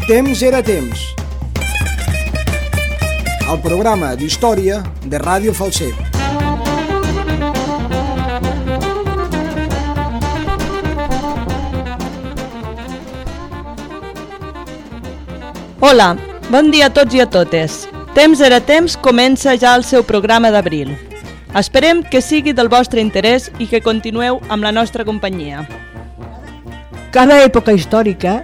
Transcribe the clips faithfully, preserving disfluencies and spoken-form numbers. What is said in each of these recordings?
Temps era temps. El programa d'història de Ràdio Falset. Hola, bon dia a tots i a totes. Temps era temps comença ja el seu programa d'abril. Esperem que sigui del vostre interès i que continueu amb la nostra companyia. Cada època històrica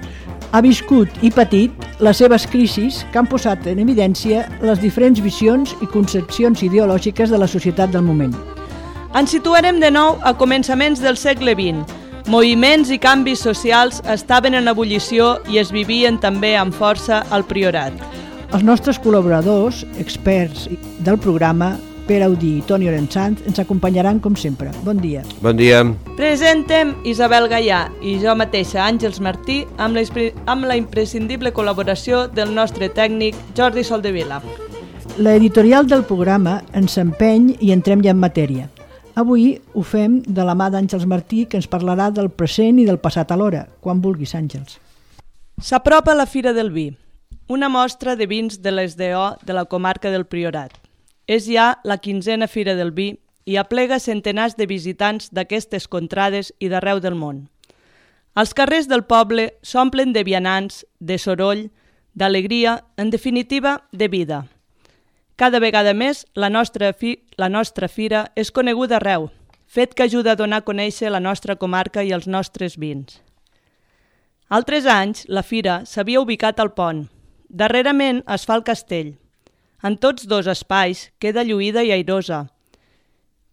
ha viscut i patit les seves crisis que han posat en evidència les diferents visions i concepcions ideològiques de la societat del moment. Ens situarem de nou a començaments del segle vint. Moviments i canvis socials estaven en ebullició i es vivien també amb força al Priorat. Els nostres col·laboradors, experts del programa, Pere Audí i Toni Orensanz, ens acompanyaran com sempre. Bon dia. Bon dia. Presentem Isabel Gaià i jo mateixa, Àngels Martí, amb la, amb la imprescindible col·laboració del nostre tècnic Jordi Soldevila. L'editorial del programa ens empeny i entrem ja en matèria. Avui ho fem de la mà d'Àngels Martí, que ens parlarà del present i del passat alhora. Quan vulguis, Àngels. S'apropa la Fira del Vi, una mostra de vins de l'S D O de la comarca del Priorat. És ja la quinzena Fira del Vi i aplega centenars de visitants d'aquestes contrades i d'arreu del món. Els carrers del poble s'omplen de vianants, de soroll, d'alegria, en definitiva, de vida. Cada vegada més la nostra, fi, la nostra fira és coneguda arreu, fet que ajuda a donar a conèixer la nostra comarca i els nostres vins. Altres anys, la fira s'havia ubicat al pont. Darrerament es fa el castell. En tots dos espais queda lluïda i airosa.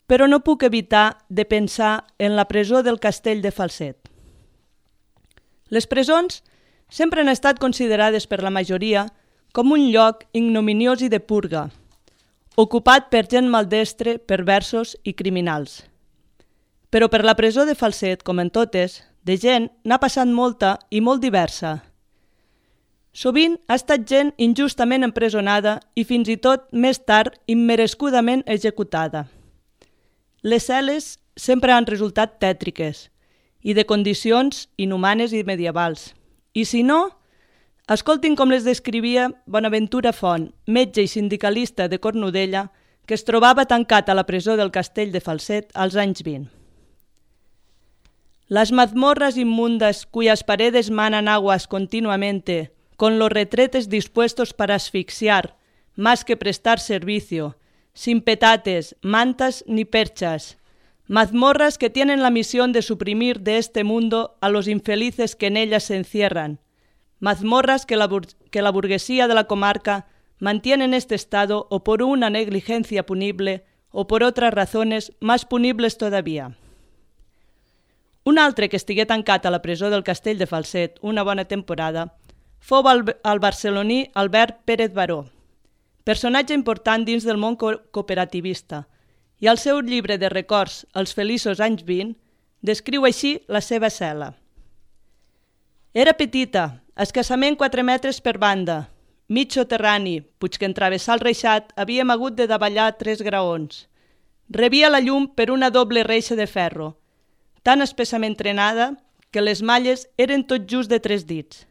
Però no puc evitar de pensar en la presó del castell de Falset. Les presons sempre han estat considerades per la majoria com un lloc ignominiós i de purga, ocupat per gent maldestre, perversos i criminals. Però per la presó de Falset, com en totes, de gent n'ha passat molta i molt diversa. Sovint ha estat gent injustament empresonada i fins i tot més tard immerescudament executada. Les cel·les sempre han resultat tètriques i de condicions inhumanes i medievals. I si no, escoltin com les descrivia Bonaventura Font, metge i sindicalista de Cornudella, que es trobava tancat a la presó del castell de Falset als anys vint. Las mazmorras inmundas cuyas paredes manan aguas continuamente, con los retretes dispuestos para asfixiar, más que prestar servicio, sin petates, mantas ni perchas, mazmorras que tienen la misión de suprimir de este mundo a los infelices que en ellas se encierran, mazmorras que la, que la burguesía de la comarca mantiene en este estado o por una negligencia punible o por otras razones más punibles todavía. Un altre que estigué tancat a la presó del castell de Falset una bona temporada fou el, el barceloní Albert Pérez Baró, personatge important dins del món co- cooperativista, i al seu llibre de records Els feliços anys vint descriu així la seva cel·la. Era petita, escassament quatre metres per banda, mig soterrani, puig que en travessar el reixat havíem hagut de davallar tres graons. Rebia la llum per una doble reixa de ferro, tan espessament trenada que les malles eren tot just de tres dits.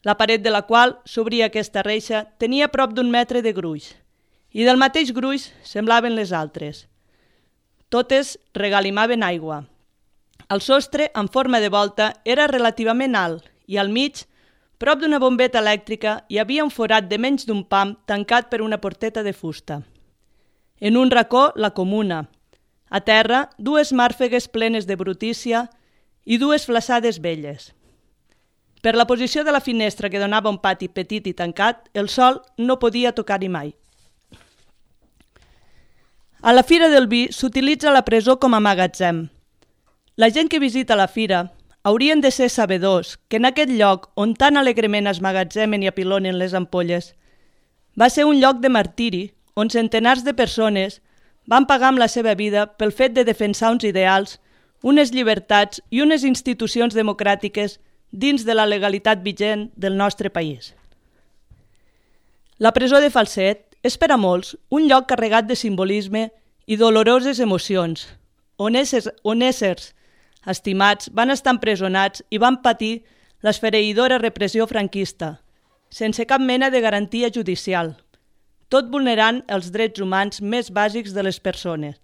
La paret de la qual s'obria aquesta reixa tenia prop d'un metre de gruix, i del mateix gruix semblaven les altres. Totes regalimaven aigua. El sostre, en forma de volta, era relativament alt i al mig, prop d'una bombeta elèctrica, hi havia un forat de menys d'un pam tancat per una porteta de fusta. En un racó, la comuna. A terra, dues màrfegues plenes de brutícia i dues flassades velles. Per la posició de la finestra que donava un pati petit i tancat, el sol no podia tocar-hi mai. A la Fira del Vi s'utilitza la presó com a magatzem. La gent que visita la fira haurien de ser sabedors que en aquest lloc on tan alegrement es magatzemen i apilonen les ampolles va ser un lloc de martiri on centenars de persones van pagar amb la seva vida pel fet de defensar uns ideals, unes llibertats i unes institucions democràtiques dins de la legalitat vigent del nostre país. La presó de Falset és per a molts un lloc carregat de simbolisme i doloroses emocions, on éssers, on éssers estimats van estar empresonats i van patir l'esfereïdora repressió franquista, sense cap mena de garantia judicial, tot vulnerant els drets humans més bàsics de les persones.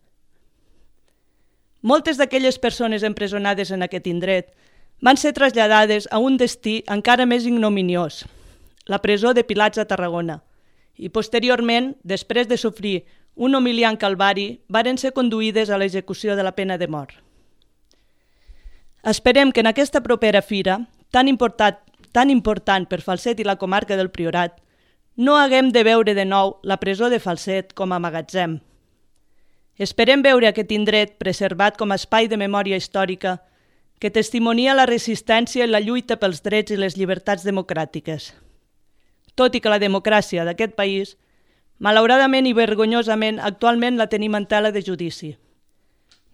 Moltes d'aquelles persones empresonades en aquest indret van ser traslladades a un destí encara més ignominiós, la presó de Pilats a Tarragona, i posteriorment, després de sofrir un humiliant calvari, varen ser conduïdes a l'execució de la pena de mort. Esperem que en aquesta propera fira, tan important, tan important per Falset i la comarca del Priorat, no haguem de veure de nou la presó de Falset com a magatzem. Esperem veure aquest indret preservat com a espai de memòria històrica que testimonia la resistència i la lluita pels drets i les llibertats democràtiques. Tot i que la democràcia d'aquest país, malauradament i vergonyosament, actualment la tenim en tela de judici.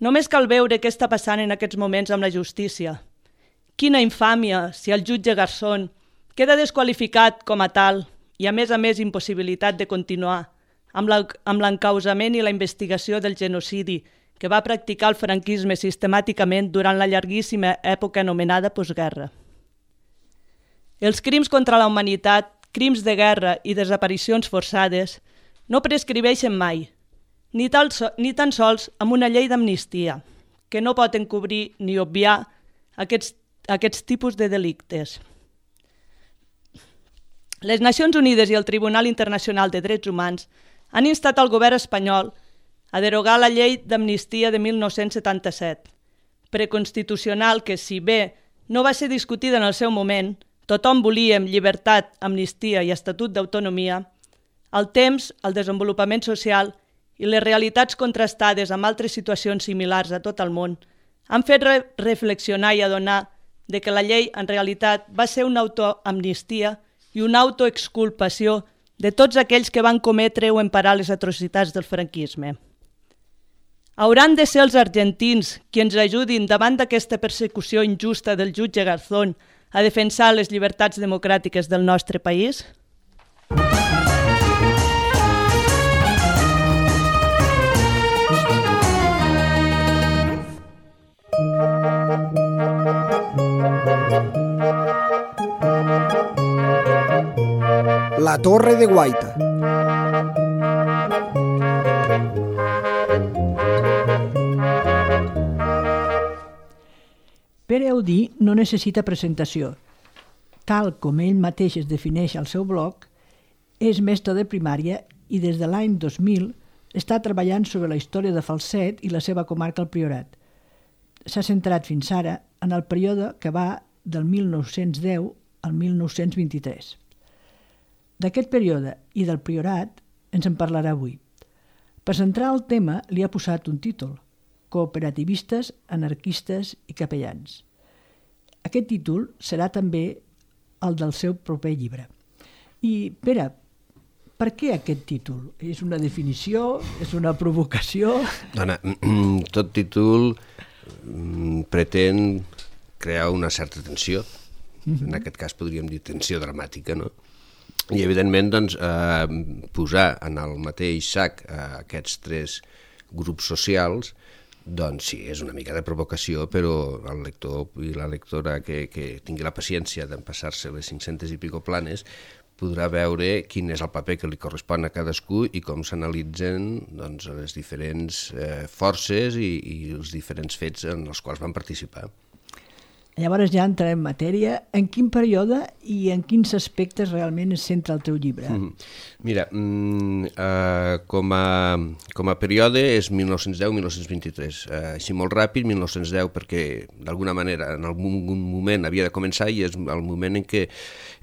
Només cal veure què està passant en aquests moments amb la justícia. Quina infàmia si el jutge Garzón queda desqualificat com a tal i a més a més impossibilitat de continuar amb l'encausament i la investigació del genocidi que va practicar el franquisme sistemàticament durant la llarguíssima època anomenada postguerra. Els crims contra la humanitat, crims de guerra i desaparicions forçades no prescriveixen mai, ni, tal so, ni tan sols amb una llei d'amnistia, que no pot encobrir ni obviar aquests, aquests tipus de delictes. Les Nacions Unides i el Tribunal Internacional de Drets Humans han instat al govern espanyol a derogar la llei d'amnistia de mil nou-cents setanta-set, preconstitucional que, si bé no va ser discutida en el seu moment, tothom volíem llibertat, amnistia i estatut d'autonomia, el temps, el desenvolupament social i les realitats contrastades amb altres situacions similars a tot el món han fet re reflexionar i adonar de que la llei en realitat va ser una autoamnistia i una autoexculpació de tots aquells que van cometre o emparar les atrocitats del franquisme. Hauran de ser els argentins qui ens ajudin davant d'aquesta persecució injusta del jutge Garzón a defensar les llibertats democràtiques del nostre país? La Torre de Guaita. Pere Audí no necessita presentació. Tal com ell mateix es defineix al seu blog, és mestre de primària i des de l'any dos mil està treballant sobre la història de Falset i la seva comarca al Priorat. S'ha centrat fins ara en el període que va del mil nou-cents deu al mil nou-cents vint-i-tres. D'aquest període i del Priorat ens en parlarà avui. Per centrar el tema li ha posat un títol: Cooperativistes, anarquistes i capellans. Aquest títol serà també el del seu proper llibre. I, Pere, per què aquest títol? És una definició? És una provocació? Dona, tot títol pretén crear una certa tensió. En aquest cas podríem dir tensió dramàtica, no? I, evidentment, doncs, eh, posar en el mateix sac eh, aquests tres grups socials, doncs sí, és una mica de provocació, però el lector i la lectora que, que tingui la paciència d'empassar-se les cinc-centes i pico planes podrà veure quin és el paper que li correspon a cadascú i com s'analitzen doncs, les diferents eh, forces i, i els diferents fets en els quals van participar. Llavors ja entrarem en matèria. En quin període i en quins aspectes realment es centra el teu llibre? Mm-hmm. Mira, mm, uh, com, a, com a període és mil nou-cents deu a mil nou-cents vint-i-tres. Uh, així molt ràpid, mil nou-cents deu, perquè d'alguna manera en algun moment havia de començar i és el moment en què,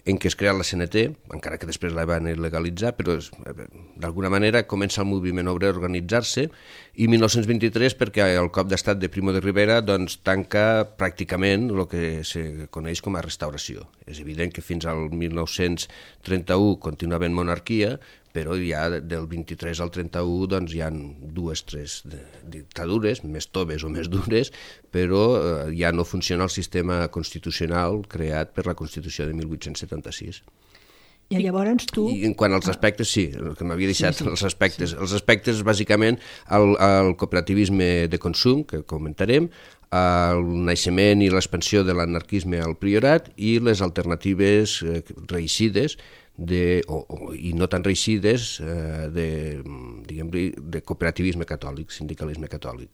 en què es crea la C N T, encara que després la van legalitzar, però d'alguna manera comença el moviment obrer a organitzar-se, i mil nou-cents vint-i-tres perquè el cop d'estat de Primo de Rivera doncs, tanca pràcticament el que se coneix com a restauració. És evident que fins al mil nou-cents trenta-u continua havent monarquia, però ja del vint-i-tres al trenta-u doncs, hi ha dues, tres dictadures, més toves o més dures, però eh, ja no funciona el sistema constitucional creat per la Constitució de mil vuit-cents setanta-sis. I llavors tu... I en quant als aspectes, sí, el que m'havia deixat, sí, sí, els aspectes. Sí. Els aspectes, bàsicament, el, el cooperativisme de consum, que comentarem, el naixement i l'expansió de l'anarquisme al priorat i les alternatives eh, reeixides de, o, o, i no tan reeixides eh, de, diguem-li, de cooperativisme catòlic, sindicalisme catòlic.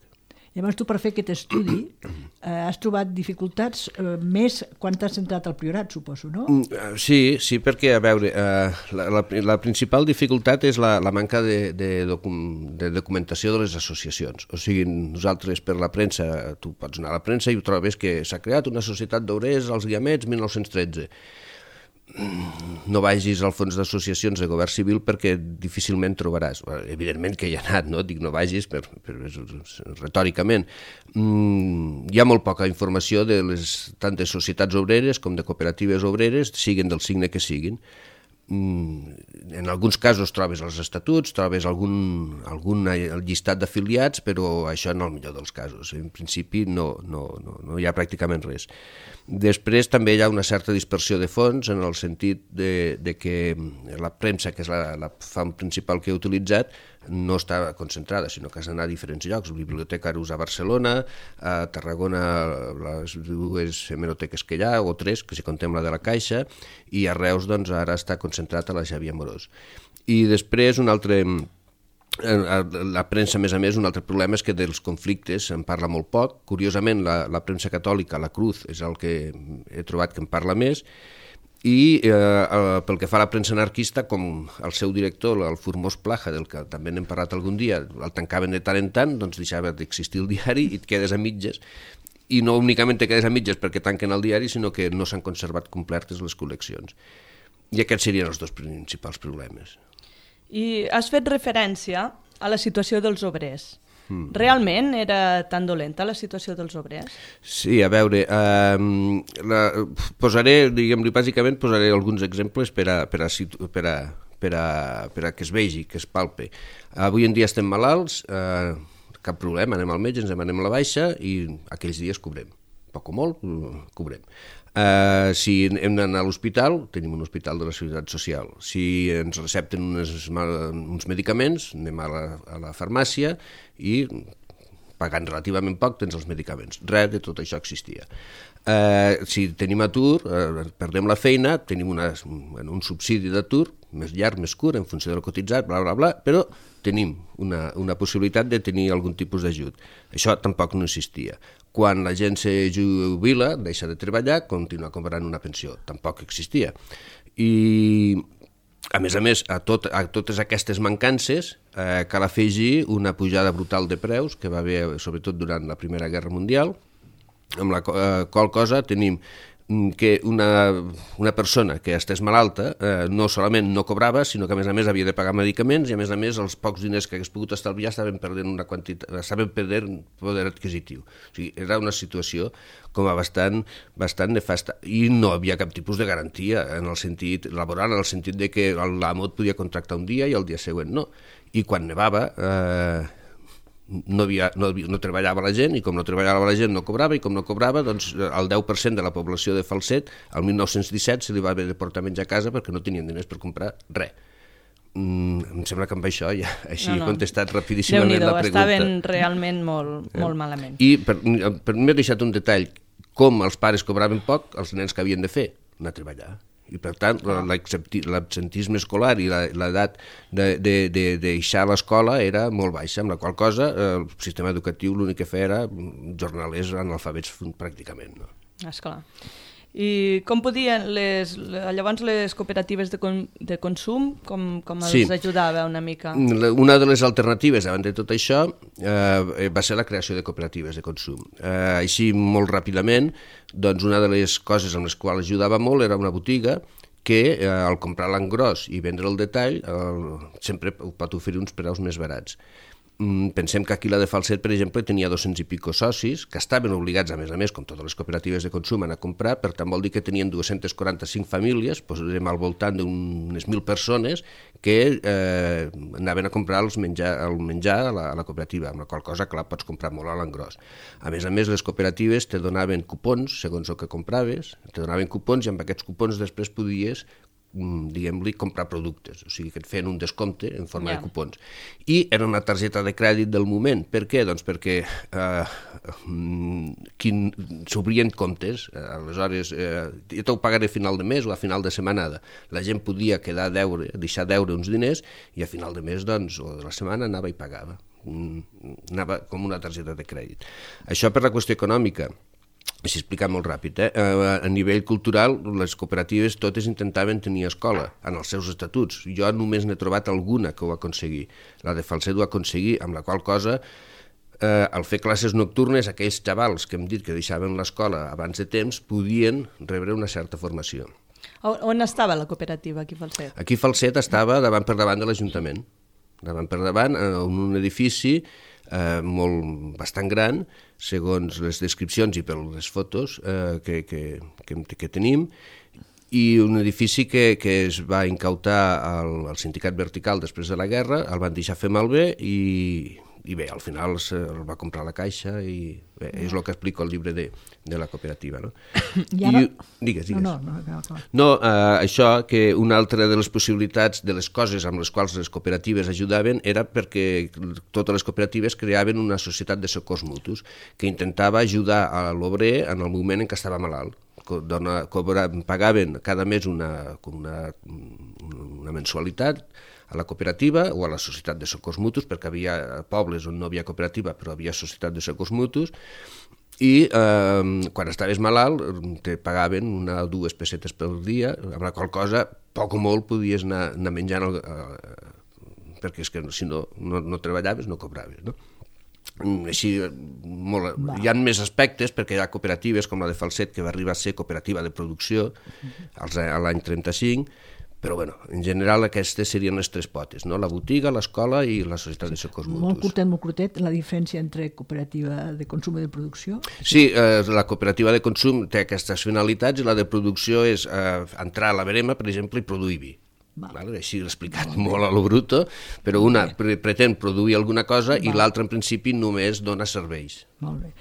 Llavors tu per fer aquest estudi eh, has trobat dificultats eh, més quan t'has centrat al priorat, suposo, no? Sí, sí, perquè, a veure, eh, la, la, la principal dificultat és la, la manca de, de, docu- de documentació de les associacions. O sigui, nosaltres per la premsa, tu pots anar a la premsa i ho trobes que s'ha creat una societat d'obrers als Guiamets mil nou-cents tretze. No vagis al fons d'associacions de govern civil perquè difícilment trobaràs. Evidentment que hi ha anat, no? Dic no vagis per, per, retòricament. Mm, hi ha molt poca informació de les tant de societats obreres com de cooperatives obreres, siguin del signe que siguin. Mm, en alguns casos trobes els estatuts, trobes algun, algun llistat d'afiliats, però això en el millor dels casos. En principi no, no, no, no hi ha pràcticament res. Després també hi ha una certa dispersió de fons en el sentit de, de que la premsa, que és la, la font principal que he utilitzat, no està concentrada, sinó que has d'anar a diferents llocs. La Biblioteca Arús a Barcelona, a Tarragona les dues hemeroteques que hi ha, o tres, que si contem la de la Caixa, i a Reus doncs, ara està concentrat a la Xavier Amorós. I després un altre... La premsa, a més a més, un altre problema és que dels conflictes se'n parla molt poc. Curiosament, la, la premsa catòlica, la Cruz, és el que he trobat que en parla més, i eh, pel que fa a la premsa anarquista, com el seu director, el Formós Plaja, del que també n'hem parlat algun dia, el tancaven de tant en tant, doncs deixava d'existir el diari i et quedes a mitges. I no únicament te quedes a mitges perquè tanquen el diari, sinó que no s'han conservat completes les col·leccions. I aquests serien els dos principals problemes. I has fet referència a la situació dels obrers. Mm. Realment era tan dolenta la situació dels obrers? Sí, a veure, eh, la, posaré, diguem-li, bàsicament posaré alguns exemples per a, per a, per a, per a, per a que es vegi, que es palpe. Avui en dia estem malalts, eh, cap problema, anem al metge, ens demanem la baixa i aquells dies cobrem. Poc o molt, cobrem. Uh, si hem d'anar a l'hospital, tenim un hospital de la Seguretat Social. Si ens recepten unes, uns medicaments, anem a la, a la farmàcia i pagant relativament poc tens els medicaments. Res de tot això existia. Uh, si tenim atur, uh, perdem la feina, tenim una, un subsidi d'atur, més llarg, més curt, en funció del cotitzat, bla, bla, bla, però tenim una, una possibilitat de tenir algun tipus d'ajut. Això tampoc no existia. Quan la gent se jubila, deixa de treballar, continua cobrant una pensió. Tampoc existia. I, a més a més, a, tot, a totes aquestes mancances eh, cal afegir una pujada brutal de preus que va haver, sobretot durant la Primera Guerra Mundial, amb la eh, qual cosa tenim que una, una persona que estès malalta eh, no solament no cobrava, sinó que a més a més havia de pagar medicaments i a més a més els pocs diners que hagués pogut estalviar estaven perdent una quantitat, estaven perdent poder adquisitiu. O sigui, era una situació com a bastant, bastant nefasta i no havia cap tipus de garantia en el sentit laboral, en el sentit de que l'amo et podia contractar un dia i el dia següent no. I quan nevava eh, No, havia, no, no treballava la gent i com no treballava la gent no cobrava i com no cobrava doncs el deu per cent de la població de Falset el mil nou-cents disset se li va haver de portar menjar a casa perquè no tenien diners per comprar res. Mm, em sembla que amb això ja així no, no. he contestat rapidíssimament la pregunta. Estaven realment molt, molt malament. I per, per mi he deixat un detall, com els pares cobraven poc, els nens que havien de fer? Anar a treballar. I per tant l'absentisme escolar i l'edat de, de, de, de deixar l'escola era molt baixa, amb la qual cosa el sistema educatiu l'únic que feia era jornalers analfabets pràcticament. No? Esclar. I com podien les, llavors les cooperatives de, con, de consum, com, com els sí. ajudava una mica? Una de les alternatives davant de tot això eh, va ser la creació de cooperatives de consum. Eh, així, molt ràpidament, doncs una de les coses amb les quals ajudava molt era una botiga que eh, al comprar l'engròs i vendre el detall eh, sempre pot oferir uns preus més barats. Pensem que aquí la de Falset, per exemple, tenia dos-cents i pico socis que estaven obligats, a més a més, com totes les cooperatives de consum, a comprar, per tant vol dir que tenien dues-centes quaranta-cinc famílies, posarem al voltant d'unes mil persones que eh, anaven a comprar els menjar, el menjar a la, a la cooperativa, amb la qual cosa, clar, pots comprar molt a l'engròs. A més a més, les cooperatives te donaven cupons, segons el que compraves, te donaven cupons i amb aquests cupons després podies diguem-li, comprar productes, o sigui que et feien un descompte en forma Ja. de cupons. I era una targeta de crèdit del moment. Per què? Doncs perquè eh, quin, s'obrien comptes, eh, aleshores eh, jo t'ho pagaré a final de mes o a final de setmanada. La gent podia quedar a deure, deixar deure uns diners i a final de mes, doncs, o de la setmana anava i pagava. Anava com una targeta de crèdit. Això per la qüestió econòmica. Així explicat molt ràpid, eh? A nivell cultural, les cooperatives totes intentaven tenir escola en els seus estatuts. Jo només n'he trobat alguna que ho aconseguí. La de Falset ho aconseguí, amb la qual cosa, eh, al fer classes nocturnes, aquells xavals que hem dit que deixaven l'escola abans de temps podien rebre una certa formació. On estava la cooperativa aquí a Falset? Aquí Falset estava davant per davant de l'Ajuntament. Davant per davant, en un edifici eh, molt, bastant gran, segons les descripcions i per les fotos eh, que, que, que, que tenim, i un edifici que, que es va incautar al, al sindicat vertical després de la guerra, el van deixar fer malbé i, i bé, al final el va comprar la Caixa i bé, és el que explico al llibre de, de la cooperativa. No? I ara... I, digues, digues. No, no, no, no. No, eh, això, que una altra de les possibilitats de les coses amb les quals les cooperatives ajudaven era perquè totes les cooperatives creaven una societat de socors mutus que intentava ajudar a l'obrer en el moment en què estava malalt. Dona, cobra, pagaven cada mes una, una, una mensualitat a la cooperativa o a la societat de socors mutus, perquè havia pobles on no havia cooperativa però havia societat de socors mutus, i eh, quan estaves malalt te pagaven una o dues pessetes pel dia, amb la qual cosa poc o molt podies anar, anar menjant el, eh, perquè és que si no, no, no treballaves no cobraves, no? Així, molt, hi ha més aspectes perquè hi ha cooperatives com la de Falset que va arribar a ser cooperativa de producció als, a l'any trenta-cinc, però bueno, en general aquestes serien les tres potes, no? La botiga, l'escola i la societat de socors mutus. Molt curtet, molt curtet, la diferència entre cooperativa de consum i de producció? Sí, eh, la cooperativa de consum té aquestes finalitats i la de producció és eh, entrar a la verema, per exemple, i produir vi. Vale, així l'he explicat molt, molt a lo bruto, però una pre pretén produir alguna cosa i l'altra en principi només dona serveis. Molt bé.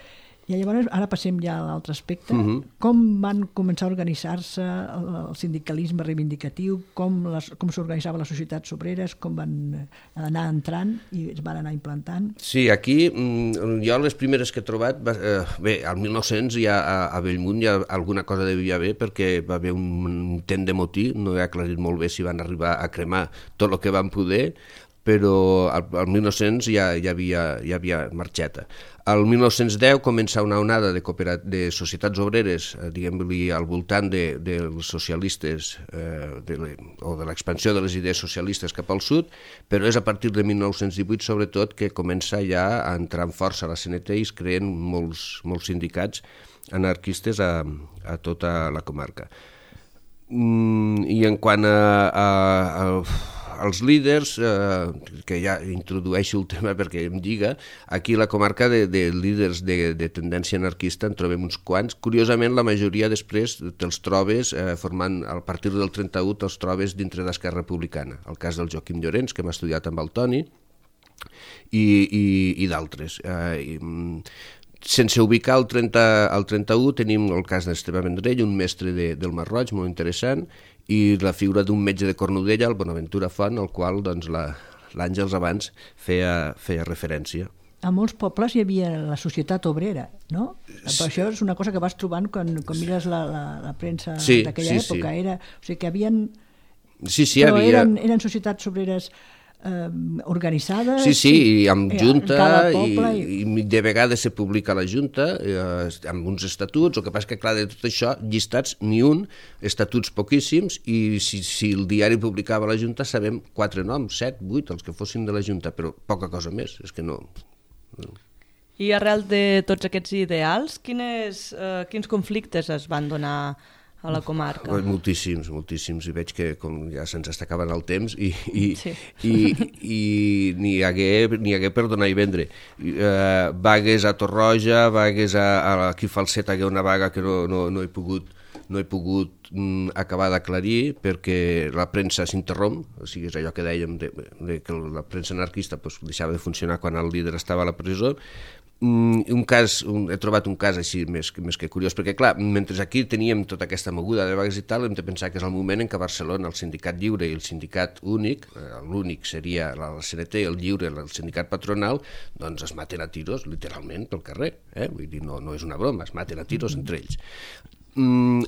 I llavors, ara passem ja a l'altre aspecte. Uh-huh. Com van començar a organitzar-se el, el sindicalisme reivindicatiu, com s'organitzava les societats obreres, com van anar entrant i es van anar implantant? Sí, aquí jo les primeres que he trobat, eh, bé, al mil nou-cents ja a, a Bellmunt ja alguna cosa devia haver perquè va haver un intent de motí, no he aclarit molt bé si van arribar a cremar tot el que van poder, però al, al mil nou-cents ja, ja, havia, ja havia marxeta. Al mil nou-cents deu comença una onada de, de societats obreres, eh, diguem-li, al voltant de, dels socialistes eh, de le, o de l'expansió de les idees socialistes cap al sud, però és a partir de mil nou-cents divuit, sobretot, que comença ja a entrar en força a la C N T i es creen molts, molts sindicats anarquistes a, a tota la comarca. Mm, I en quant a... a, a els líders, eh, que ja introdueixo el tema perquè em lliga, aquí a la comarca de, de líders de, de tendència anarquista en trobem uns quants. Curiosament, la majoria després te'ls trobes eh, formant, a partir del trenta-u, te'ls trobes dintre d'Esquerra Republicana. El cas del Joaquim Llorens, que hem estudiat amb el Toni, i, i, i d'altres. Eh, i, sense ubicar el, trenta, el trenta-u, tenim el cas d'Esteve Vendrell, un mestre de, del Mar Roig, molt interessant, i la figura d'un metge de Cornudella, el Bonaventura Font, al qual doncs, l'Àngels abans feia, feia referència. A molts pobles hi havia la societat obrera, no? Però això és una cosa que vas trobant quan, quan mires la, la, la premsa sí, d'aquella sí, època. Sí. Era, o sigui que havien... Sí, sí, però havia... eren, eren societats obreres eh, organitzades... Sí, sí, i amb junta, i, i, i de vegades se publica la junta, eh, amb uns estatuts, el que passa que, clar, de tot això, llistats ni un, estatuts poquíssims, i si, si el diari publicava la junta, sabem quatre noms, set, vuit, els que fossin de la junta, però poca cosa més, és que no... no. I arrel de tots aquests ideals, quines, eh, quins conflictes es van donar a la comarca? Moltíssims, moltíssims, i veig que com ja se'ns està acabant el temps i, i, sí. i, i n'hi hagué, n'hi hagué per donar i vendre. Uh, vagues a Torroja, vagues a, a aquí a Falset, hagué una vaga que no, no, no he pogut, no he pogut mm, acabar d'aclarir perquè la premsa s'interromp, o sigui, és allò que dèiem de, de que la premsa anarquista pues, deixava de funcionar quan el líder estava a la presó, un cas, un, he trobat un cas així més, més que curiós, perquè clar, mentre aquí teníem tota aquesta moguda de vagues i tal, hem de pensar que és el moment en què a Barcelona el sindicat lliure i el sindicat únic, l'únic seria la C N T, el lliure, el sindicat patronal, doncs es maten a tiros literalment pel carrer, eh? Vull dir, no, no és una broma, es maten a tiros entre ells.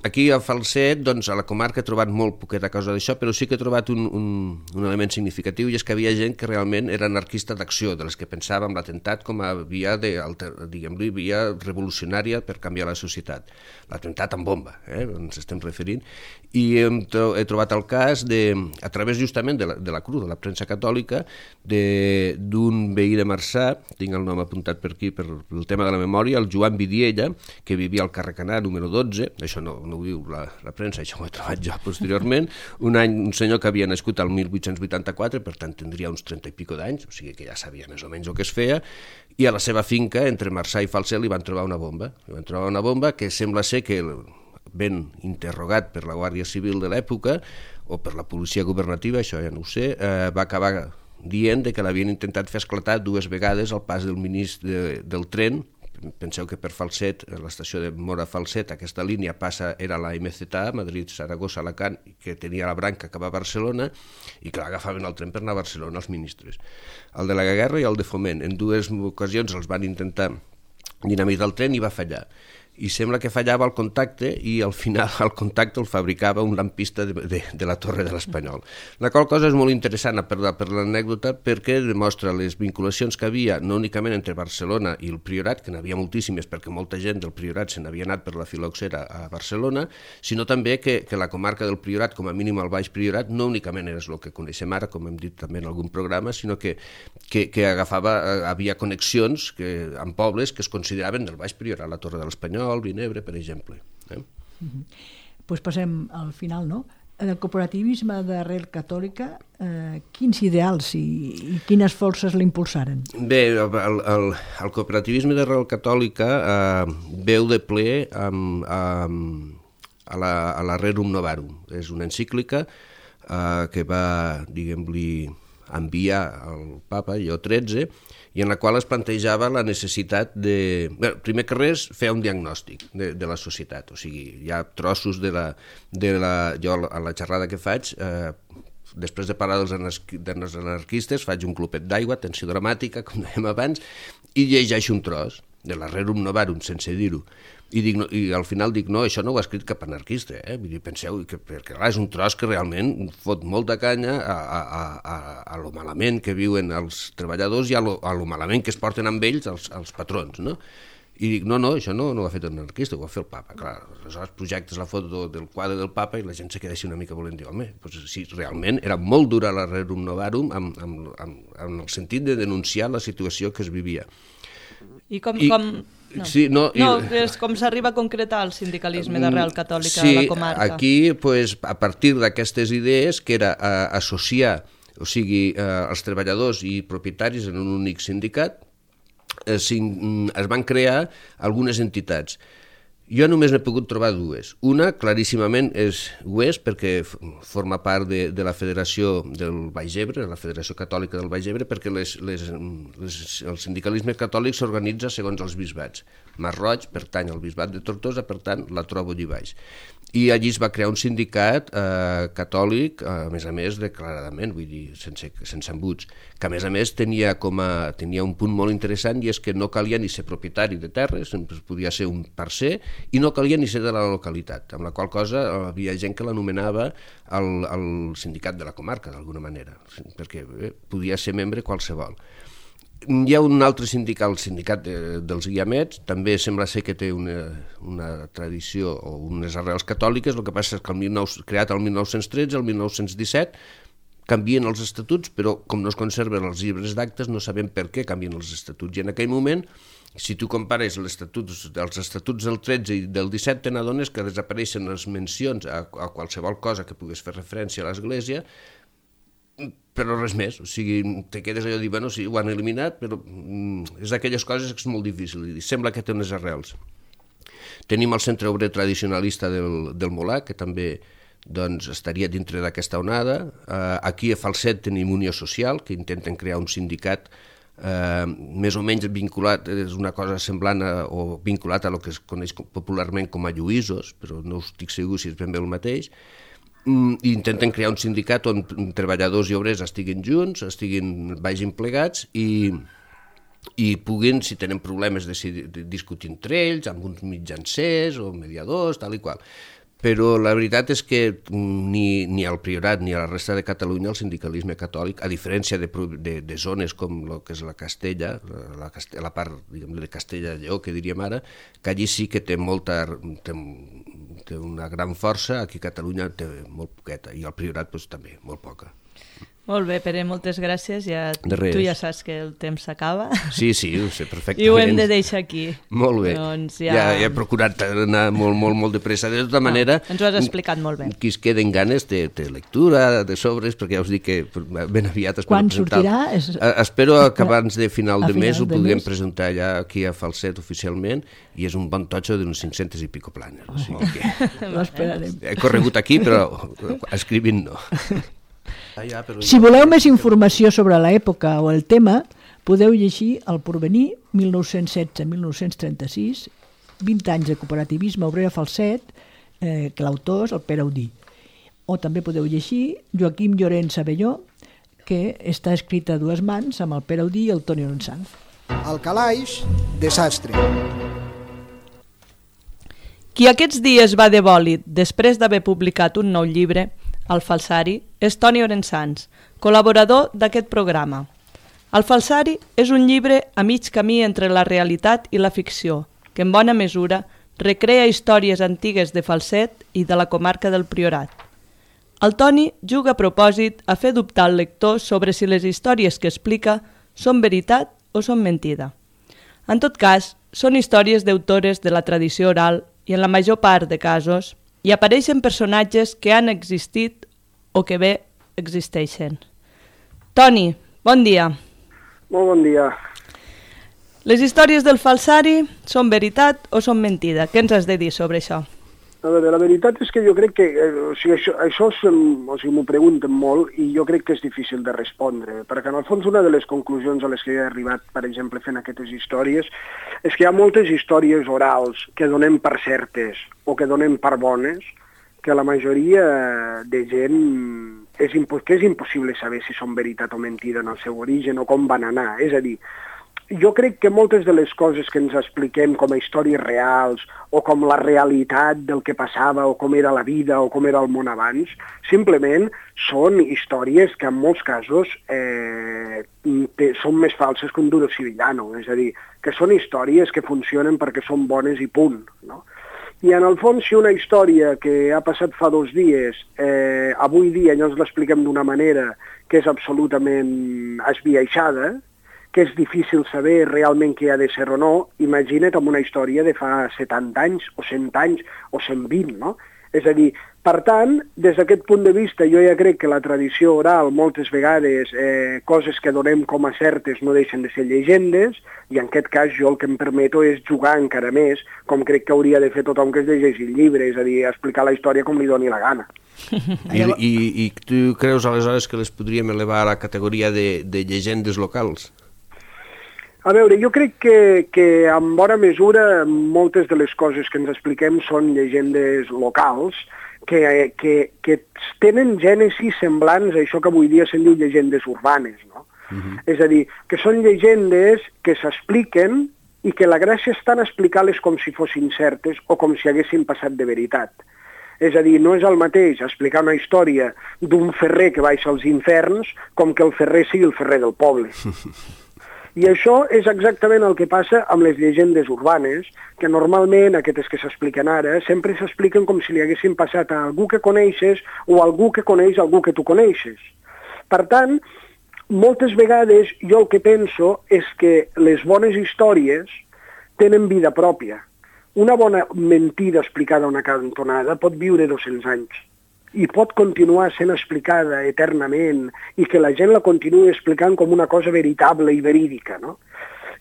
Aquí a Falset, doncs, a la comarca he trobat molt poqueta causa d'això, però sí que he trobat un, un, un element significatiu, i és que havia gent que realment era anarquista d'acció, de les que pensava en l'atemptat com a via, de, diguem-li, via revolucionària per canviar la societat. L'atemptat amb bomba, eh, ens estem referint, i he, he trobat el cas, de, a través justament de la, de la C R U, de la premsa catòlica, d'un veí de Marçà, tinc el nom apuntat per aquí, per el tema de la memòria, el Joan Vidiella, que vivia al carrer Canà número dotze, això no, no ho diu la, la premsa, això ho he trobat jo posteriorment, un any, un senyor que havia nascut al mil vuit-cents vuitanta-quatre, per tant tindria uns trenta i pico d'anys, o sigui que ja sabia més o menys el que es feia, i a la seva finca, entre Marçà i Falset, li van trobar una bomba, li van trobar una bomba que sembla ser que, ben interrogat per la Guàrdia Civil de l'època, o per la policia governativa, això ja no ho sé, eh, va acabar dient que l'havien intentat fer esclatar dues vegades al pas del ministre de, del tren. Penseu que per Falset, l'estació de Mora-Falset, aquesta línia passa, era la M Z A, Madrid, Saragossa, Alacant, que tenia la branca que va a Barcelona, i que l'agafaven al tren per anar a Barcelona els ministres. El de la guerra i el de Foment. En dues ocasions els van intentar dinamitar el tren i va fallar. I sembla que fallava el contacte i al final el contacte el fabricava un lampista de, de, de la Torre de l'Espanyol. La qual cosa és molt interessant per, per l'anècdota perquè demostra les vinculacions que havia no únicament entre Barcelona i el Priorat, que n'havia moltíssimes perquè molta gent del Priorat se n'havia anat per la filoxera a Barcelona, sinó també que, que la comarca del Priorat, com a mínim el Baix Priorat, no únicament és el que coneixem ara, com hem dit també en algun programa, sinó que, que, que agafava, havia connexions que, amb pobles que es consideraven del Baix Priorat, la Torre de l'Espanyol, el Vinebre, per exemple. Eh? Uh-huh. Pues passem al final, no? El cooperativisme d'arrel catòlica, eh, quins ideals i, i quines forces l'impulsaren? Bé, el, el, el cooperativisme d'arrel catòlica eh, veu de ple amb, amb, a la, a la Rerum Novarum. És una encíclica eh, que va, diguem-li, enviar al papa Lleó tretze, i en la qual es plantejava la necessitat de... Bé, primer que res, fer un diagnòstic de, de la societat, o sigui, hi ha trossos de la... De la jo a la xerrada que faig, eh, després de parlar dels, anarqui, dels anarquistes, faig un clopet d'aigua, tensió dramàtica, com dèiem abans, i llegeixo un tros de la Rerum Novarum, sense dir-ho. I, dic, no, I al final dic, no, això no ho ha escrit cap anarquista, eh? Vull dir, penseu, que, perquè clar, és un tros que realment fot molta canya a, a, a, a lo malament que viuen els treballadors i a lo, a lo malament que es porten amb ells els, els patrons, no? I dic, no, no, això no, no ho ha fet un anarquista, ho va fer el papa. Clar, aleshores projectes la foto del quadre del papa i la gent se queda així una mica volent dir, home, doncs sí, realment era molt dura la Rerum Novarum amb, amb, amb, amb el sentit de denunciar la situació que es vivia. I com... I, com... No, sí, no, no i... és com s'arriba a concretar el sindicalisme d'arrel catòlica sí, a la comarca. Sí, aquí, pues, a partir d'aquestes idees, que era eh, associar, o sigui, eh, els treballadors i propietaris en un únic sindicat, eh, es van crear algunes entitats. Jo només n'he pogut trobar dues. Una, claríssimament, és ho és, perquè forma part de, de la Federació del Baix Ebre, la Federació Catòlica del Baix Ebre, perquè les, les, les, el sindicalisme catòlic s'organitza segons els bisbats. Masroig pertany al bisbat de Tortosa, per tant, la trobo allí baix. I allí es va crear un sindicat eh, catòlic, a més a més, declaradament, vull dir, sense, sense embuts, que a més a més tenia, com a, tenia un punt molt interessant, i és que no calia ni ser propietari de terres, podia ser un parcer, i no calia ni ser de la localitat, amb la qual cosa havia gent que l'anomenava el, el sindicat de la comarca, d'alguna manera, perquè bé, podia ser membre qualsevol. Hi ha un altre sindicat, el sindicat de, dels guiamets, també sembla ser que té una, una tradició o unes arrels catòliques, el que passa és que el dinou, creat el mil nou-cents tretze, el mil nou-cents disset, canvien els estatuts, però com no es conserven els llibres d'actes no sabem per què canvien els estatuts. I en aquell moment, si tu compares els estatuts, els estatuts del tretze i del disset, te n'adones que desapareixen les mencions a, a qualsevol cosa que pogués fer referència a l'Església, però res més, o sigui, te quedes allò de dir, bueno, sí, ho han eliminat, però mm, és d'aquelles coses que és molt difícil de dir, sembla que té unes arrels. Tenim el Centre Obrer Tradicionalista del, del Molà, que també doncs, estaria dintre d'aquesta onada. Uh, aquí a Falset tenim Unió Social, que intenten crear un sindicat eh, més o menys vinculat, és una cosa semblant a, o vinculat a el que es coneix popularment com a lluïsos, però no estic segur si és ben bé el mateix, i intenten crear un sindicat on treballadors i obrers estiguin junts, estiguin vagin plegats i, i puguin, si tenen problemes, decidir, discutir entre ells, amb uns mitjancers o mediadors, tal i qual. Però la veritat és que ni, ni al Priorat ni a la resta de Catalunya el sindicalisme catòlic, a diferència de, de, de zones com el que és la Castella, la, Castella, la part diguem, de Castella-Lleó, que diríem ara, que allí sí que té molta té, té una gran força, aquí a Catalunya té molt poqueta, i al Priorat doncs, també, molt poca. Molt bé, Pere, moltes gràcies. Ja, tu ja saps que el temps s'acaba. Sí, sí, ho sé perfectament. I ho hem de deixar aquí. Molt bé. Doncs ja... Ja, ja he procurat anar molt, molt, molt de pressa. De tota manera... No, ens ho has explicat molt bé. Qui es queden ganes de, de lectura, de sobres, perquè ja us dic que ben aviat... Quan sortirà? És... Espero que abans de final de mes ho puguem presentar ja aquí a Falset oficialment, i és un bon totxo d'uns cinc-centes i pico planes. O sigui que... L'esperarem. He corregut aquí, però escrivint no. Ah, ja, però... Si voleu més informació sobre l'època o el tema, podeu llegir El Porvenir, mil nou-cents setze a mil nou-cents trenta-sis, vint anys de cooperativisme obrer a Falset, eh, que l'autor és el Pere Audí. O també podeu llegir Joaquim Llorenç Abelló, que està escrit a dues mans amb el Pere Audí i el Toni Ronsanz. Al calaix, desastre. Qui aquests dies va de bòlit després d'haver publicat un nou llibre, El falsari, és Toni Ronsanz, col·laborador d'aquest programa. El falsari és un llibre a mig camí entre la realitat i la ficció, que en bona mesura recrea històries antigues de Falset i de la comarca del Priorat. El Toni juga a propòsit a fer dubtar el lector sobre si les històries que explica són veritat o són mentida. En tot cas, són històries d'autores de la tradició oral i en la major part de casos hi apareixen personatges que han existit o que bé existeixen. Toni, bon dia. Molt bon dia. Les històries del falsari són veritat o són mentida? Què ens has de dir sobre això? A veure, la veritat és que jo crec que eh, o sigui, això, això és, o sigui, m'ho pregunten molt i jo crec que és difícil de respondre, perquè en el fons una de les conclusions a les que he arribat, per exemple, fent aquestes històries, és que hi ha moltes històries orals que donem per certes o que donem per bones, que la majoria de gent és, que és impossible saber si són veritat o mentida en el seu origen o com van anar. És a dir, jo crec que moltes de les coses que ens expliquem com a històries reals o com la realitat del que passava o com era la vida o com era el món abans, simplement són històries que en molts casos eh, te, són més falses que un duro sevillano, és a dir, que són històries que funcionen perquè són bones i punt, no? I en el fons, si una història que ha passat fa dos dies, eh, avui dia llavors l'expliquem d'una manera que és absolutament esbiaixada, que és difícil saber realment què ha de ser o no, imagina't amb una història de fa setanta anys, o cent anys, o cent vint, no? És a dir, per tant, des d'aquest punt de vista, jo ja crec que la tradició oral, moltes vegades, eh, coses que donem com a certes no deixen de ser llegendes, i en aquest cas jo el que em permeto és jugar encara més, com crec que hauria de fer tothom que es llegeixi el llibre, és a dir, explicar la història com li doni la gana. I, i, i tu creus aleshores que les podríem elevar a la categoria de, de llegendes locals? A veure, jo crec que, que en bona mesura moltes de les coses que ens expliquem són llegendes locals que, que, que tenen gènesis semblants a això que avui dia se'n diu llegendes urbanes, no? Uh-huh. És a dir, que són llegendes que s'expliquen i que la gràcia està en explicar-les com si fossin certes o com si haguessin passat de veritat. És a dir, no és el mateix explicar una història d'un ferrer que baixa als inferns com que el ferrer sigui el ferrer del poble. I això és exactament el que passa amb les llegendes urbanes, que normalment, aquestes que s'expliquen ara, sempre s'expliquen com si li haguessin passat a algú que coneixes o a algú que coneix algú que tu coneixes. Per tant, moltes vegades jo el que penso és que les bones històries tenen vida pròpia. Una bona mentida explicada a una cantonada pot viure dos-cents anys i pot continuar sent explicada eternament i que la gent la continuï explicant com una cosa veritable i verídica, no?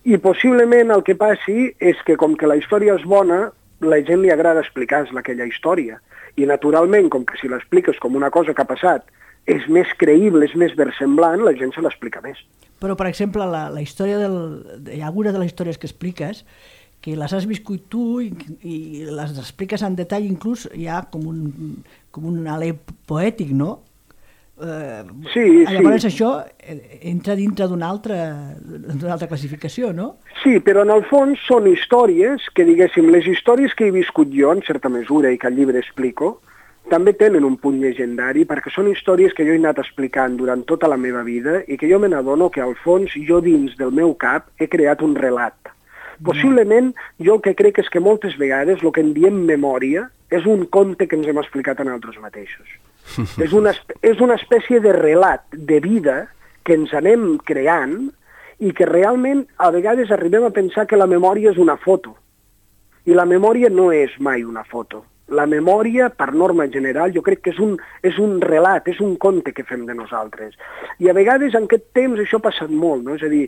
I possiblement el que passi és que com que la història és bona, la gent li agrada explicar-la aquella història. I naturalment, com que si l'expliques com una cosa que ha passat és més creïble, és més versemblant, la gent se l'explica més. Però, per exemple, la, la història del... Hi ha alguna de les històries que expliques que les has viscut tu i, i les expliques en detall, inclús hi ha com un, com un alè poètic, no? Eh, sí, llavors sí. això entra dintre d'una altra, d'una altra classificació, no? Sí, però en el fons són històries que, diguéssim, les històries que he viscut jo en certa mesura i que al llibre explico, també tenen un punt llegendari perquè són històries que jo he anat explicant durant tota la meva vida i que jo me n'adono que al fons jo dins del meu cap he creat un relat. Possiblement jo el que crec és que moltes vegades el que en diem memòria és un conte que ens hem explicat a nosaltres mateixos. és, una, és una espècie de relat de vida que ens anem creant i que realment a vegades arribem a pensar que la memòria és una foto. I la memòria no és mai una foto. La memòria, per norma general, jo crec que és un, és un relat, és un conte que fem de nosaltres. I a vegades en aquest temps això ha passat molt, no? És a dir,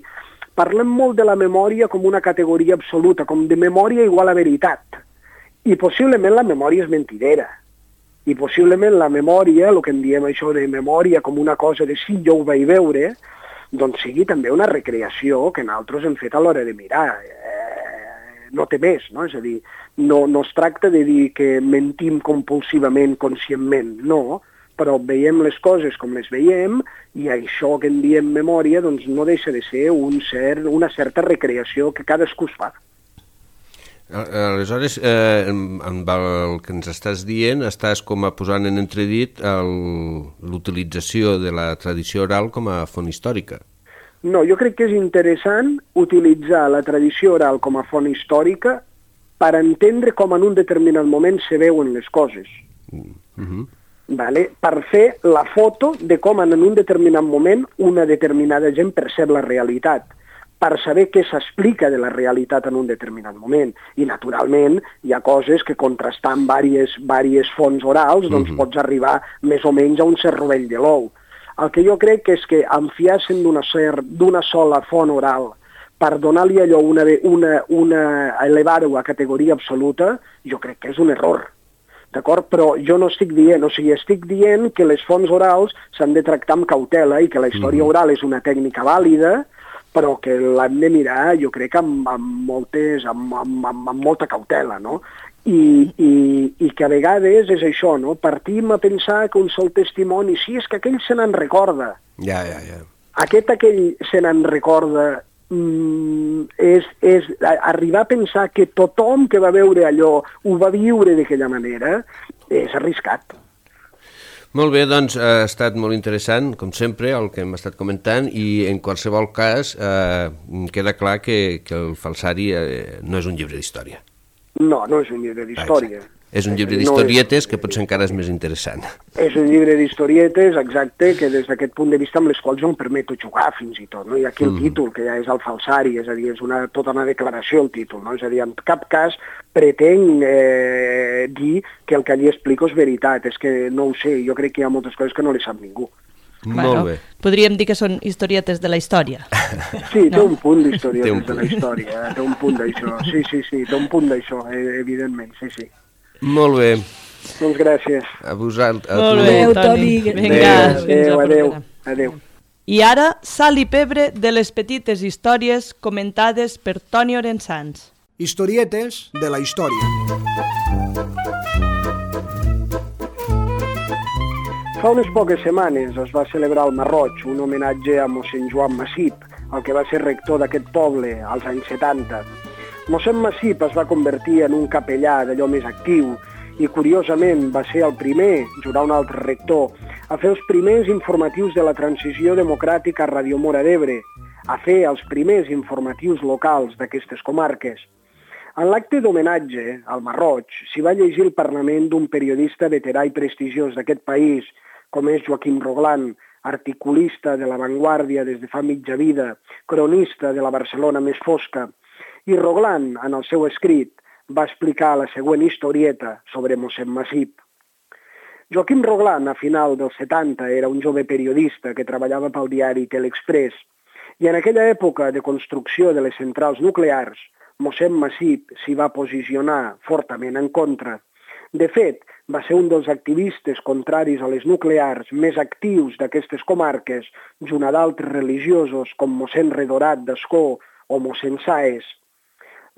parlem molt de la memòria com una categoria absoluta, com de memòria igual a veritat. I possiblement la memòria és mentidera. I possiblement la memòria, el que en diem això de memòria com una cosa de sí, jo ho vaig veure, doncs sigui també una recreació que nosaltres hem fet a l'hora de mirar. Eh, no té més, no? És a dir, no, no es tracta de dir que mentim compulsivament, conscientment, no, però veiem les coses com les veiem i això que en diem memòria doncs no deixa de ser un cert, una certa recreació que cadascú es fa. Aleshores, eh, amb el que ens estàs dient, estàs com a posant en entredit l'utilització de la tradició oral com a font històrica. No, jo crec que és interessant utilitzar la tradició oral com a font històrica per entendre com en un determinat moment se veuen les coses. Mm-hmm. Vale? Per fer la foto de com en un determinat moment una determinada gent percep la realitat, per saber què s'explica de la realitat en un determinat moment. I, naturalment, hi ha coses que contrastant diverses, diverses fonts orals doncs mm-hmm. pots arribar més o menys a un cert rovell de l'ou. El que jo crec és que enfiar-se'n d'una d'una sola font oral per donar-li allò una, una, una elevar-ho a categoria absoluta, jo crec que és un error. D'acord? Però jo no estic dient, o sigui, estic dient que les fonts orals s'han de tractar amb cautela i que la història oral és una tècnica vàlida, però que l'hem de mirar, jo crec, amb, amb, moltes, amb, amb, amb, amb molta cautela, no? I, i, i que a vegades és això, no? Partim a pensar que un sol testimoni, sí, és que aquell se n'en recorda. Ja, ja, ja. Aquest aquell se n'en recorda, mm, és, és arribar a pensar que tothom que va veure allò ho va viure d'aquella manera, és arriscat. Molt bé, doncs ha estat molt interessant, com sempre, el que hem estat comentant, i en qualsevol cas eh, queda clar que, que el falsari eh, no és un llibre d'història. No, no és un llibre d'història. És un llibre d'historietes que potser encara és més interessant. És un llibre d'historietes, exacte, que des d'aquest punt de vista amb les quals jo em permeto jugar fins i tot, no? I aquí el mm. títol, que ja és el falsari, és a dir, és una, tota una declaració el títol, no? És a dir, en cap cas pretenc eh, dir que el que allí explico és veritat, és que no ho sé, jo crec que hi ha moltes coses que no les sap ningú. Bueno, molt bé. Podríem dir que són historietes de la història. Sí, té no? un punt d'historietes de la història, té un punt d'això, sí, sí, sí, té un punt d'això, evidentment, sí, sí. Molt bé. Doncs gràcies. A vosaltres. Molt bé, Toni. Vinga, adéu, adéu, adéu. I ara, sal i pebre de les petites històries comentades per Toni Orensans. Historietes de la història. Fa unes poques setmanes es va celebrar al Marroig un homenatge a mossèn Joan Massip, el que va ser rector d'aquest poble als anys setanta. Mossèn Massip es va convertir en un capellà d'allò més actiu i, curiosament, va ser el primer, junt a un altre rector, a fer els primers informatius de la transició democràtica a Ràdio Móra d'Ebre, a fer els primers informatius locals d'aquestes comarques. En l'acte d'homenatge al Marroig s'hi va llegir el parlament d'un periodista veterà i prestigiós d'aquest país, com és Joaquim Roglan, articulista de La Vanguardia des de fa mitja vida, cronista de la Barcelona més fosca. I Roglan, en el seu escrit, va explicar la següent historieta sobre mossèn Massip. Joaquim Roglan, a final dels setanta, era un jove periodista que treballava pel diari Telexpress i en aquella època de construcció de les centrals nuclears, mossèn Massip s'hi va posicionar fortament en contra. De fet, va ser un dels activistes contraris a les nuclears més actius d'aquestes comarques, junt a d'altres religiosos com mossèn Redorat d'Ascó o mossèn Sáez.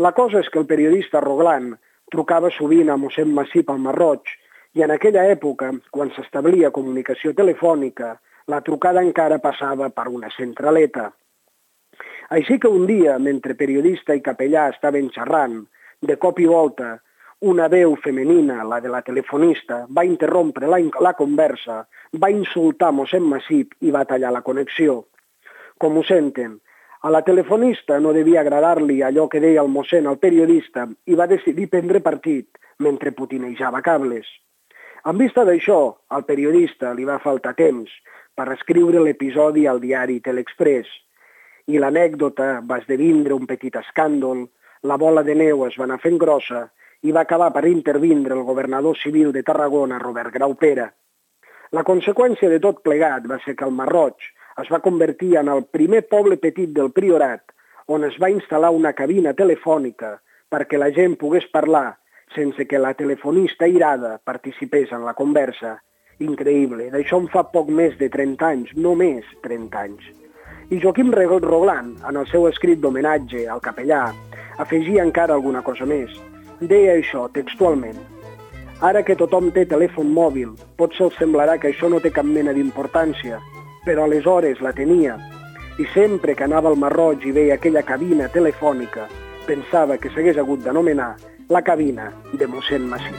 La cosa és que el periodista Roglan trucava sovint a mossèn Massip al Marroig i en aquella època, quan s'establia comunicació telefònica, la trucada encara passava per una centraleta. Així que un dia, mentre periodista i capellà estaven xerrant, de cop i volta, una veu femenina, la de la telefonista, va interrompre la, la conversa, va insultar mossèn Massip i va tallar la connexió. Com ho senten, a la telefonista no devia agradar-li allò que deia el mossèn al periodista i va decidir prendre partit mentre putinejava cables. En vista d'això, al periodista li va faltar temps per escriure l'episodi al diari Telexpress i l'anècdota va esdevindre un petit escàndol, la bola de neu es va anar fent grossa i va acabar per intervindre el governador civil de Tarragona, Robert Graupera. La conseqüència de tot plegat va ser que el Marroig es va convertir en el primer poble petit del Priorat on es va instal·lar una cabina telefònica perquè la gent pogués parlar sense que la telefonista irada participés en la conversa. Increïble, d'això en fa poc més de trenta anys, només trenta anys. I Joaquim Roglan, en el seu escrit d'homenatge al capellà, afegia encara alguna cosa més. Deia això textualment. Ara que tothom té telèfon mòbil, potser els semblarà que això no té cap mena d'importància, però aleshores la tenia. I sempre que anava al Marroig i veia aquella cabina telefònica, pensava que s'hagués hagut d'anomenar la cabina de mossèn Massip.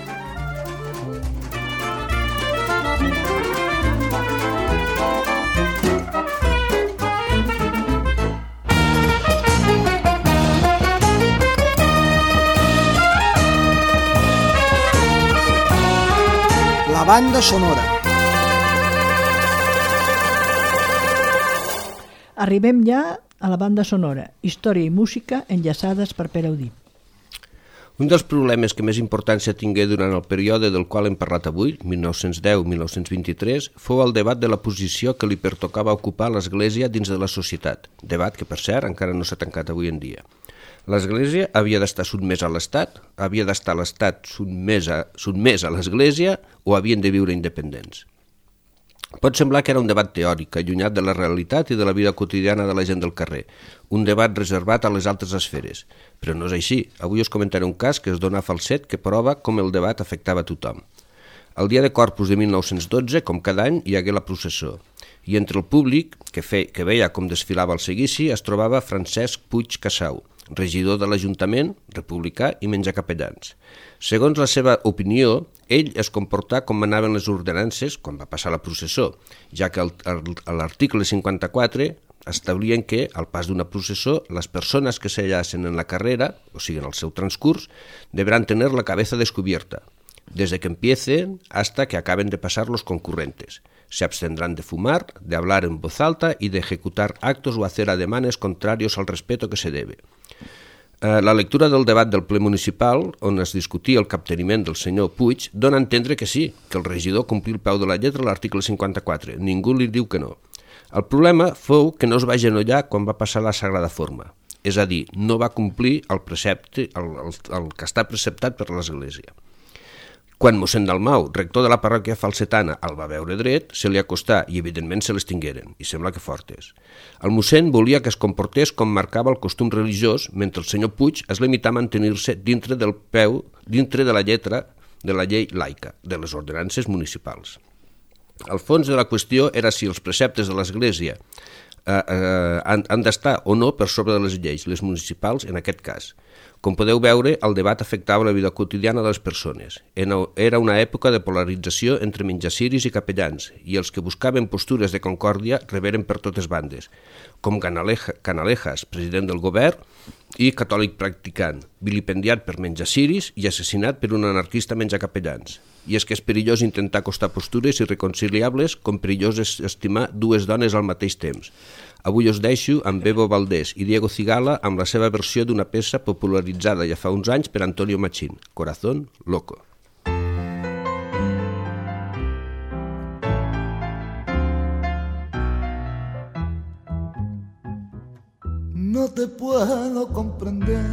La banda sonora. Arribem ja a la banda sonora, història i música enllaçades per Pere Audí. Un dels problemes que més importància tingué durant el període del qual hem parlat avui, mil nou-cents deu a mil nou-cents vint-i-tres, fou el debat de la posició que li pertocava ocupar l'Església dins de la societat, debat que, per cert, encara no s'ha tancat avui en dia. L'Església havia d'estar sotmesa a l'Estat, havia d'estar l'Estat sotmès a, sotmès a l'Església o havien de viure independents. Pot semblar que era un debat teòric, allunyat de la realitat i de la vida quotidiana de la gent del carrer, un debat reservat a les altres esferes, però no és així. Avui us comentaré un cas que es dona a falset que prova com el debat afectava a tothom. El dia de Corpus de mil nou-cents dotze, com cada any, hi hagué la processó, i entre el públic, que, fe, que veia com desfilava el seguici, es trobava Francesc Puig Casau, regidor de l'Ajuntament, republicà i menjacapellans. Segons la seva opinió, ell es comportà com manaven les ordenances quan va passar la processó, ja que l'article cinquanta-quatre establien que, al pas d'una processó, les persones que s'hallassen en la carrera, o sigui, en el seu transcurs, deberán tener la cabeza descubierta, desde que empiecen hasta que acaben de pasar los concurrentes. Se abstendrán de fumar, de hablar en voz alta y de ejecutar actos o hacer ademanes contrarios al respeto que se debe. La lectura del debat del ple municipal, on es discutia el capteniment del senyor Puig, dona a entendre que sí, que el regidor complí el peu de la lletra l'article cinquanta-quatre. Ningú li diu que no. El problema fou que no es va agenollar quan va passar la Sagrada Forma, és a dir, no va complir el precepte, el, el, el que està preceptat per l'Església. Quan mossèn Dalmau, rector de la parròquia falsetana, el va veure dret, se li acostà i evidentment se l'estingueren, i sembla que fortes. El mossèn volia que es comportés com marcava el costum religiós, mentre el senyor Puig es limità a mantenir-se dintre del peu, dintre de la lletra de la llei laica, de les ordenances municipals. El fons de la qüestió era si els preceptes de l'Església eh, eh, han, han d'estar o no per sobre de les lleis, les municipals en aquest cas. Com podeu veure, el debat afectava la vida quotidiana de les persones. Era una època de polarització entre menjaciris i capellans, i els que buscaven postures de concòrdia reberen per totes bandes, com Canaleja, Canalejas, president del govern, i catòlic practicant, vilipendiat per menjaciris i assassinat per un anarquista menjacapellans. I és que és perillós intentar acostar postures irreconciliables com perillós és estimar dues dones al mateix temps. Avui us deixo amb Bebo Valdés i Diego Cigala amb la seva versió d'una peça popularitzada ja fa uns anys per Antonio Machín, Corazón Loco. No te puedo comprender,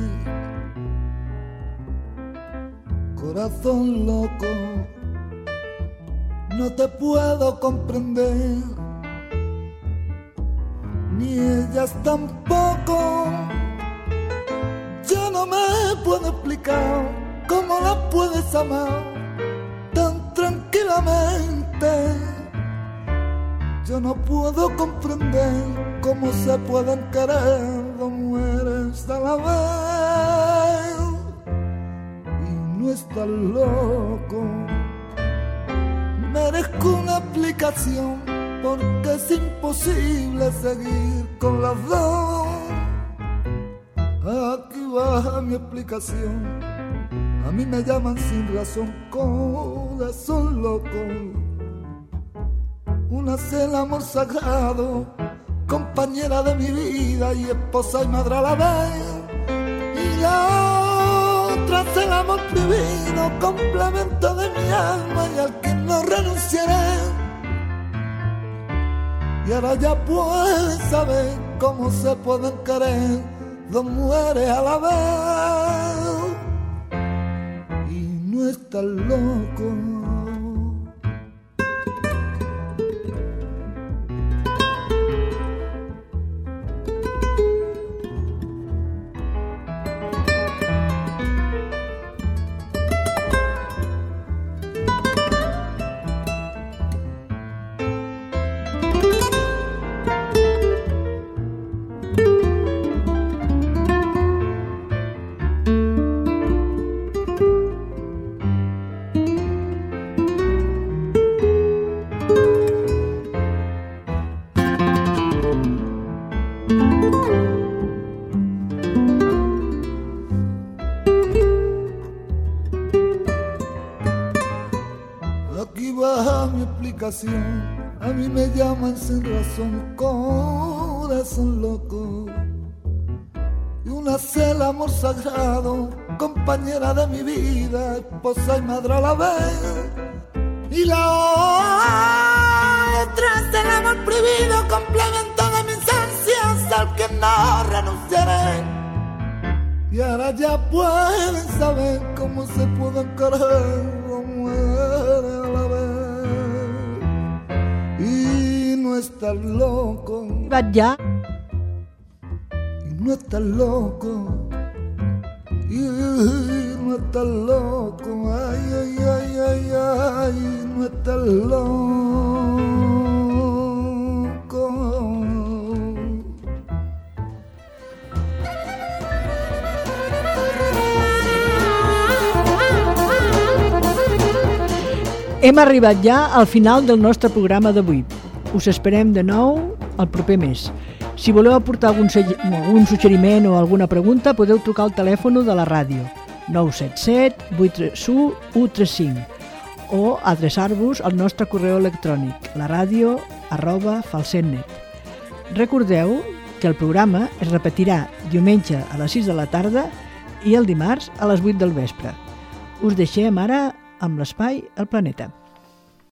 corazón loco, no te puedo comprender, ni ellas tampoco. Yo no me puedo explicar cómo las puedes amar tan tranquilamente. Yo no puedo comprender cómo se pueden querer dos mujeres a la vez. Y no estás loco. Merezco una explicación porque es imposible seguir con las dos. Aquí va mi explicación. A mí me llaman sin razón corazón loco. Una es el amor sagrado, compañera de mi vida y esposa y madre a la vez. Y la otra es el amor prohibido, complemento de mi alma y al que no renunciaré. Y ahora ya puedes saber cómo se pueden querer dos mujeres a la vez. Y no estás loco. A mí me llaman sin razón corazón loco. Y una es el amor sagrado, compañera de mi vida, esposa y madre a la vez. Y la otra es el amor prohibido, complemento de mis ansias al que no renunciaré. Y ahora ya pueden saber cómo se pueden querer dos mujeres a la vez. Y no estás loco. Ja. Y no estás loco. Y no estás loco. Ay, ay, ay, ay, ay. No estás loco. Hem arribat ja al final del nostre programa d'avui. Us esperem de nou el proper mes. Si voleu aportar algun, algun suggeriment o alguna pregunta, podeu trucar al telèfon de la ràdio nou set set vuit tres u u tres cinc o adreçar-vos al nostre correu electrònic la ràdio arroba falset net. Recordeu que el programa es repetirà diumenge a les sis de la tarda i el dimarts a les vuit del vespre. Us deixem ara amb l'espai El Planeta.